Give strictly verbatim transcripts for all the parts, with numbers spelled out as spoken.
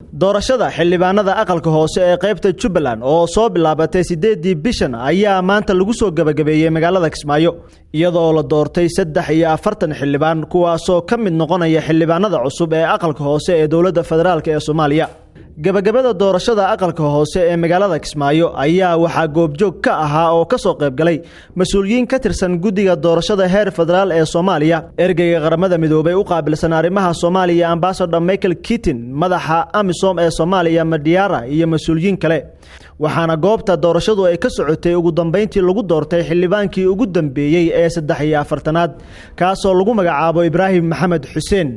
Doorashada xildhibaanada aqalka hoose ee qaybta Jubbaland oo soo bilaabatay sideedii bishan ayaa maanta lagu soo gabagabeeyey magaalada Kismaayo, iyadoo la doortay saddex iyo afartan xildhibaan, kuwaasoo ka mid noqonaya xildhibaanada cusub ee aqalka hoose ee dowladda federaalk ee Soomaaliya. Gabagabada doorashada aqalka hoose ee magaalada Kismaayo ayaa waxaa goobjoog ka ahaa oo ka soo qaybgalay mas-uuliyiin ka tirsan guddiga doorashada heer federaal ee Soomaaliya, ergeyga Qaramada Midoobay u qaabilsan arrimaha Soomaaliya, Ambasador Michael Keating, madaxa AMISOM ee Soomaaliya Madiara, iyo mas-uuliyiin kale. Waxaana goobta doorashadu ay ka socotay ugu dambeyntii lagu doortay xildhibaankii ugu dambeeyey ee saddex iyo afartanaad, kaasoo lagu magacaabo Ibraahim Maxamed Xuseen.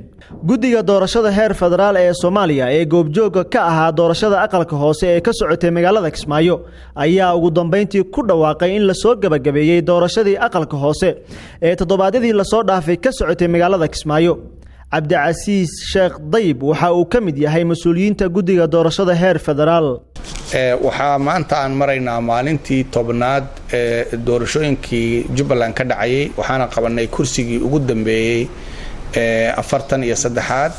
Guddiga doorashada heer federaal ee Soomaaliya ee goobjooga ka ahaa doorashada aqalka hoose ee ka socotay magaalada Kismaayo ayaa ugu dambeyntii ku dhawaaqay in lasoo gabagabeeyey doorashadii aqalka hoose ee toddobaadyadii lasoo dhaafay ka socotay magaalada Kismaayo. Cabdicasiis Sheekh Dayib waxa uu ka mid yahay mas-uuliyiinta guddiga doorashada heer federaal. Waxaa maanta aan maraynaa maalintii tobnaad ee doorashooyinkii Jubbaland ka dhacayay, waxaana qabanay kursigii ugu dambeeyey ee afartan iyo saddexaad.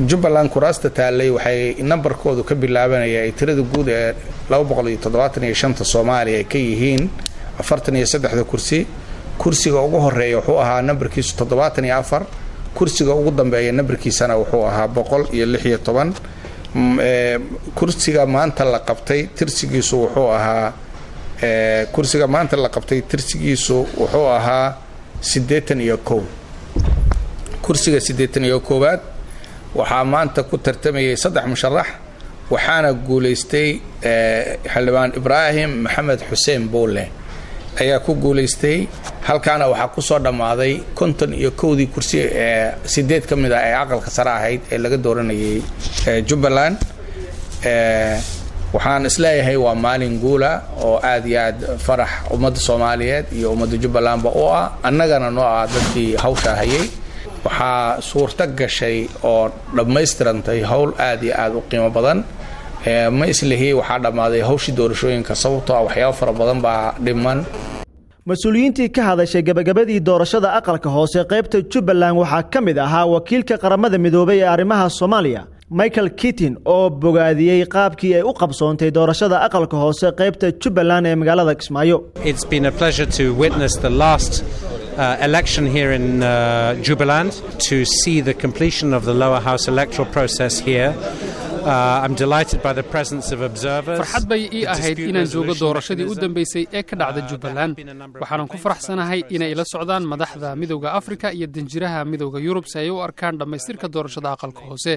Jubbaland kuraasta taallay waxay nambarkoodu ka bilaabanaya ay tirada guud ee laba boqol iyo toddobaatan iyo shanta Soomaaliya ay ka yihiin afartan iyo saddexda kursi. Kursiga ugu horeeya wuxuu ahaa nambarkiisu toddobaatan iyo afar, kursiga ugu dambeeya nambarkiisana wuxuu ahaa boqol iyo lix iyo toban. Kursiga maanta la qabtay tirsigiisu wuxuu ahaa kursiga maanta la qabtay tirsigiisu wuxuu ahaa siddeetan iyo kow. Kursiga siddeetan iyo koowaad waxaa maanta ku tartamayay saddex musharax, waxaana guulaystay xildhibaan Ibraahim Maxamed Xuseen Buule ayaa ku guulaystay. Halkaana waxaa kusoo dhammaaday konton iyo kowdii kursi ee sideed ka mid ah ee aqalka sare ahayd ee laga dooranayay Jubbaland. Waxaan isleeyahay waa maalin guula oo aad iyo aad farax ummadda Soomaaliyeed iyo ummadda Jubbalandba u ah, annagana noo ah dadkii hawshaa hayay. Waxaa suurto gashay oo dhammaystirantay howl aad iyo aad u qiimo badan. Ma islihi waxaa dhammaaday hawshii doorashooyinka, sababtoo ah waxyaabo fara badan baa dhiman. Mas-uuliyiintii ka hadashay gabagabadii doorashada aqalka hoose qaybta Jubbaland waxaa ka mid ahaa wakiilka Qaramada Midoobay ee arrimaha Soomaaliya, Michael Keating, oo bogaadiyey qaabkii ay u qabsoontay doorashada aqalka hoose qaybta Jubbaland ee magaalada Kismaayo. It's been a pleasure to witness the last uh, election here in uh, Jubaland, to see the completion of the lower house electoral process here. Uh, I'm delighted by the presence of observers. Farxad bay ii ahayd inaan joogo doorashadii u dambaysay ee ka dhacda Jubbaland. Waxaanan ku faraxsanahay inay ila socdaan madaxda Midowda Afrika iyo danjiraha Midowda Yurub si ay u arkaan dhammaystirka doorashada aqalka hoose.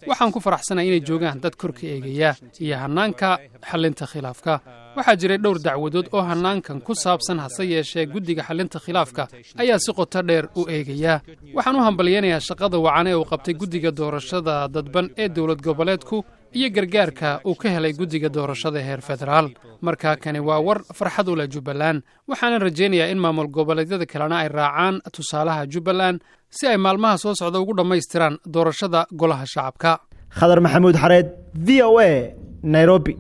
Waxaan ku faraxsanahay inay joogaan dad korka eegaya iyo hannaanka xallinta khilaafka. Waxaa jiray dhowr dacwadood oo hannaankan ku saabsan, hase yeeshee guddiga xallinta khilaafka ayaa si qoto dheer u eegaya. Waxaan u hambalyaynayaa shaqada wacan ee uu qabtay guddiga doorashada dadban ee dowlad goboleedku iyo gargaarka uu ka helay guddiga doorashada heer federaal. Markaa kani waa war farxad u leh Jubbaland, waxaana rajaynayaa in maamul goboleedyada kalena ay raacaan tusaalaha Jubbaland si ay maalmaha soo socda ugu dhammaystiraan doorashada golaha shacabka. Khadar Maxamuud Xareed, V O A, Nairobi.